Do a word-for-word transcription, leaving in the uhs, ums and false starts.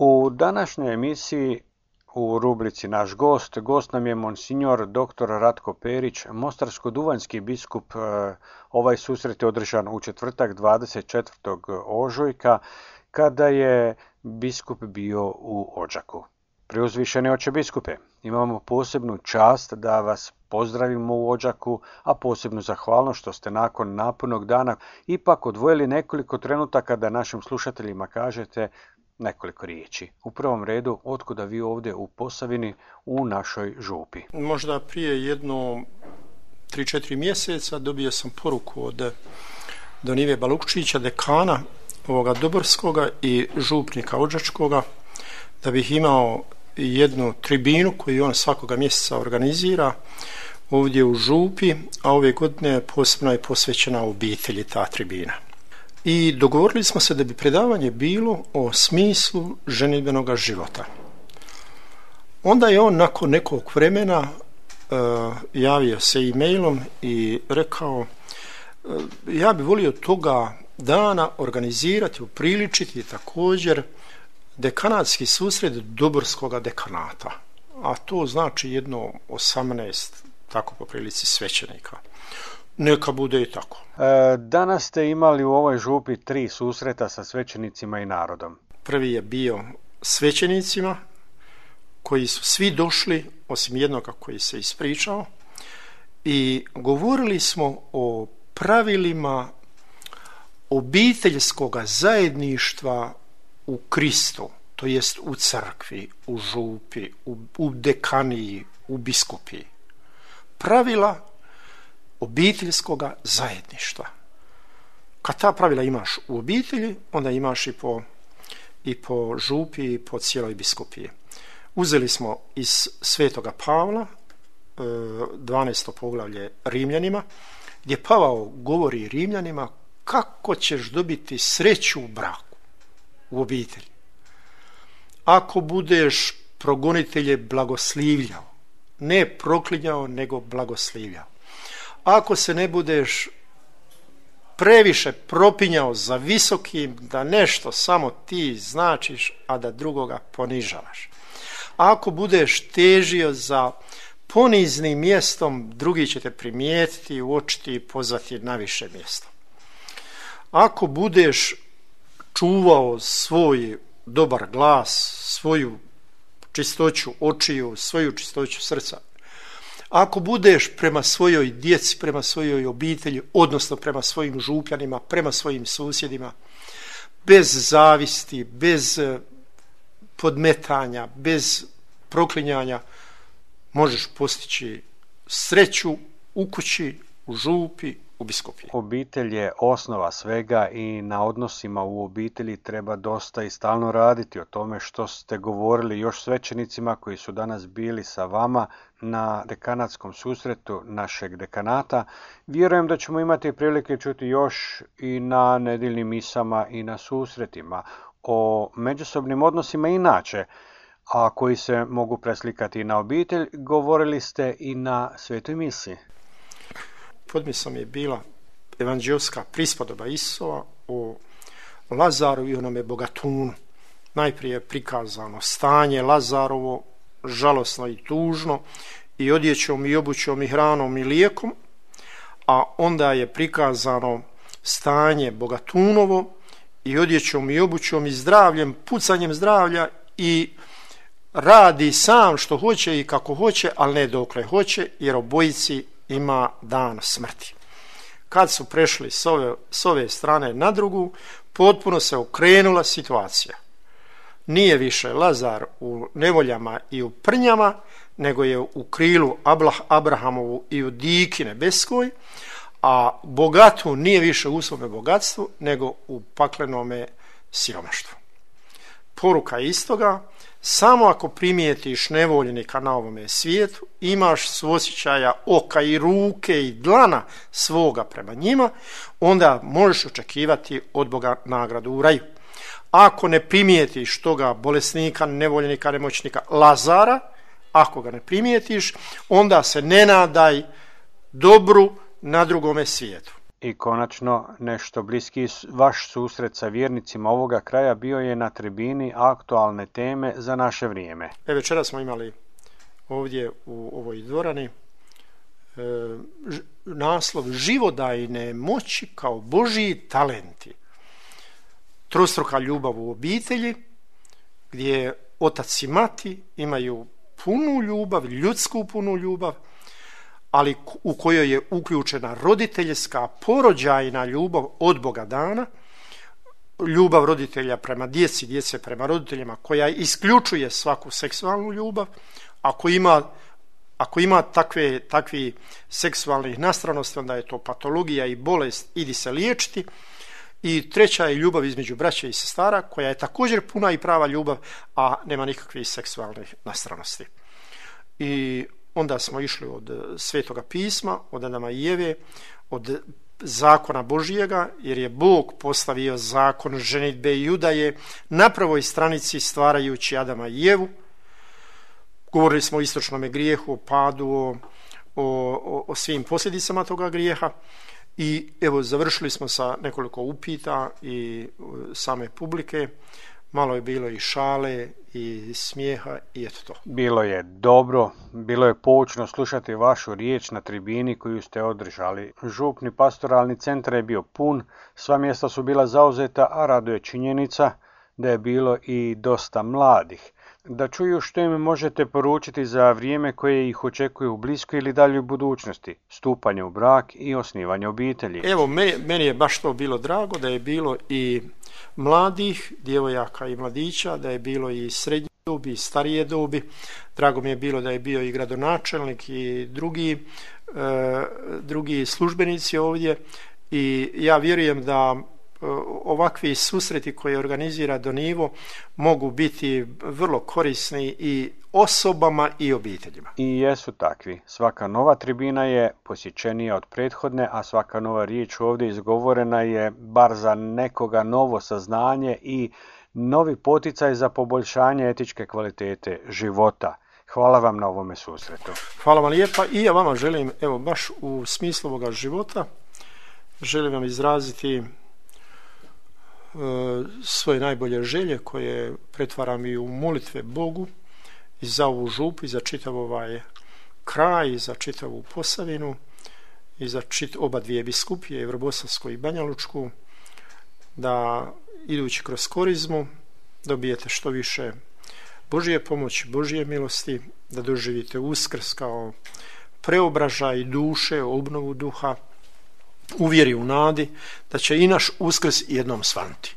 U današnjoj emisiji u rubrici Naš gost, gost nam je monsignor doktor Ratko Perić, mostarsko-duvanjski biskup. Ovaj susret je održan u četvrtak dvadeset četvrtog ožujka kada je biskup bio u Odžaku. Preuzvišeni oče biskupe, imamo posebnu čast da vas pozdravimo u Odžaku, a posebnu zahvalnost što ste nakon napunog dana ipak odvojili nekoliko trenutaka da našim slušateljima kažete nekoliko riječi. U prvom redu, otkuda vi ovdje u Posavini u našoj župi? Možda prije jedno tri četiri mjeseca dobio sam poruku od Don Ive Balukčića, dekana ovoga Doborskoga i župnika Odžačkoga, da bih imao jednu tribinu koju on svakoga mjeseca organizira ovdje u župi, a ove godine posebno je posvećena obitelji ta tribina. I dogovorili smo se da bi predavanje bilo o smislu ženidbenoga života. Onda je on nakon nekog vremena uh, javio se e-mailom i rekao uh, ja bi volio toga dana organizirati, upriličiti također dekanatski susret Doborskoga dekanata, a to znači jedno osamnaest, tako po prilici, svećenika. Neka bude i tako. E, danas ste imali u ovoj župi tri susreta sa svećenicima i narodom. Prvi je bio svećenicima koji su svi došli, osim jednoga koji se ispričao, i govorili smo o pravilima obiteljskoga zajedništva u Kristu, to jest u crkvi, u župi, u, u dekaniji, u biskupiji. Pravila obiteljskoga zajedništva. Kad ta pravila imaš u obitelji, onda imaš i po, i po župi i po cijeloj biskupiji. Uzeli smo iz Svetoga Pavla dvanaesto poglavlje Rimljanima, gdje Pavao govori Rimljanima kako ćeš dobiti sreću u braku, u obitelji. Ako budeš progonitelje blagoslivljao, ne proklinjao, nego blagoslivljao. Ako se ne budeš previše propinjao za visokim, da nešto samo ti značiš, a da drugoga ponižavaš. Ako budeš težio za poniznim mjestom, drugi će te primijetiti, uočiti i pozvati na više mjesto. Ako budeš čuvao svoj dobar glas, svoju čistoću očiju, svoju čistoću srca, ako budeš prema svojoj djeci, prema svojoj obitelji, odnosno prema svojim župljanima, prema svojim susjedima, bez zavisti, bez podmetanja, bez proklinjanja, možeš postići sreću u kući, u župi, u biskupiji. Obitelj je osnova svega i na odnosima u obitelji treba dosta i stalno raditi. O tome što ste govorili još svećenicima koji su danas bili sa vama na dekanatskom susretu našeg dekanata. Vjerujem da ćemo imati prilike čuti još i na nedjeljnim misama i na susretima o međusobnim odnosima inače, a koji se mogu preslikati na obitelj. Govorili ste i na svetoj misi. Podmisom je bila evanđelska prispodoba Isova o Lazaru i onome bogatunu. Najprije je prikazano stanje Lazarovo, žalosno i tužno, i odjećom i obućom i hranom i lijekom, a onda je prikazano stanje bogatunovo i odjećom i obućom i zdravljem, pucanjem zdravlja, i radi sam što hoće i kako hoće, ali ne dokle hoće, jer obojici ima dan smrti. Kad su prešli s ove, s ove strane na drugu, potpuno se okrenula situacija. Nije više Lazar u nevoljama i u prnjama, nego je u krilu Abrahamovu i u diki nebeskoj, a bogatu nije više u svome bogatstvu, nego u paklenome siromaštvu. Poruka je istoga: samo ako primijetiš nevoljenika na ovome svijetu, imaš suosjećaja oka i ruke i dlana svoga prema njima, onda možeš očekivati od Boga nagradu u raju. Ako ne primijetiš toga bolesnika, nevoljenika, nemoćnika Lazara, ako ga ne primijetiš, onda se ne nadaj dobru na drugome svijetu. I konačno, nešto bliski vaš susret sa vjernicima ovoga kraja bio je na tribini aktualne teme za naše vrijeme. E, večera smo imali ovdje u ovoj dvorani e, ž, naslov Živodajne moći kao Božji talenti. Trostruka ljubav u obitelji, gdje otac i mati imaju punu ljubav, ljudsku punu ljubav, ali u kojoj je uključena roditeljska, porođajna ljubav od Boga dana, ljubav roditelja prema djeci, djece prema roditeljima, koja isključuje svaku seksualnu ljubav. Ako ima, ako ima takve, takvi seksualnih nastranosti, onda je to patologija i bolest, idi se liječiti. I treća je ljubav između braće i sestara, koja je također puna i prava ljubav, a nema nikakvih seksualnih nastranosti. I onda smo išli od Svetoga pisma, od Adama i Eve, od zakona Božjega, jer je Bog postavio zakon ženidbe i udaje na prvoj stranici stvarajući Adama i Evu. Govorili smo o istočnom grijehu, o padu, o, o, o svim posljedicama toga grijeha. I evo, završili smo sa nekoliko upita i same publike. Malo je bilo i šale i smijeha i eto to. Bilo je dobro, bilo je poučno slušati vašu riječ na tribini koju ste održali. Župni pastoralni centar je bio pun, sva mjesta su bila zauzeta, a raduje činjenica da je bilo i dosta mladih. Da čuju što im možete poručiti za vrijeme koje ih očekuje u bliskoj ili daljoj budućnosti, stupanje u brak i osnivanje obitelji. Evo, meni, meni je baš to bilo drago, da je bilo i mladih, djevojaka i mladića, da je bilo i srednje dobi i starije dobi. Drago mi je bilo da je bio i gradonačelnik i drugi, e, drugi službenici ovdje. I ja vjerujem da ovakvi susreti koje organizira Donivo mogu biti vrlo korisni i osobama i obiteljima. I jesu takvi. Svaka nova tribina je posjećenija od prethodne, a svaka nova riječ ovdje izgovorena je bar za nekoga novo saznanje i novi poticaj za poboljšanje etičke kvalitete života. Hvala vam na ovome susretu. Hvala vam lijepa i ja vama želim, evo baš u smislu ovoga života, želim vam izraziti svoje najbolje želje koje pretvaram i u molitve Bogu i za ovu župu i za čitav ovaj kraj i za čitavu Posavinu i za čit, oba dvije biskupije, Vrbosavsku i Banjalučku, da idući kroz korizmu dobijete što više Božje pomoći, Božje milosti, da doživite Uskrs kao preobražaj duše, obnovu duha, u vjeri, u nadi da će i naš Uskrs jednom svanuti.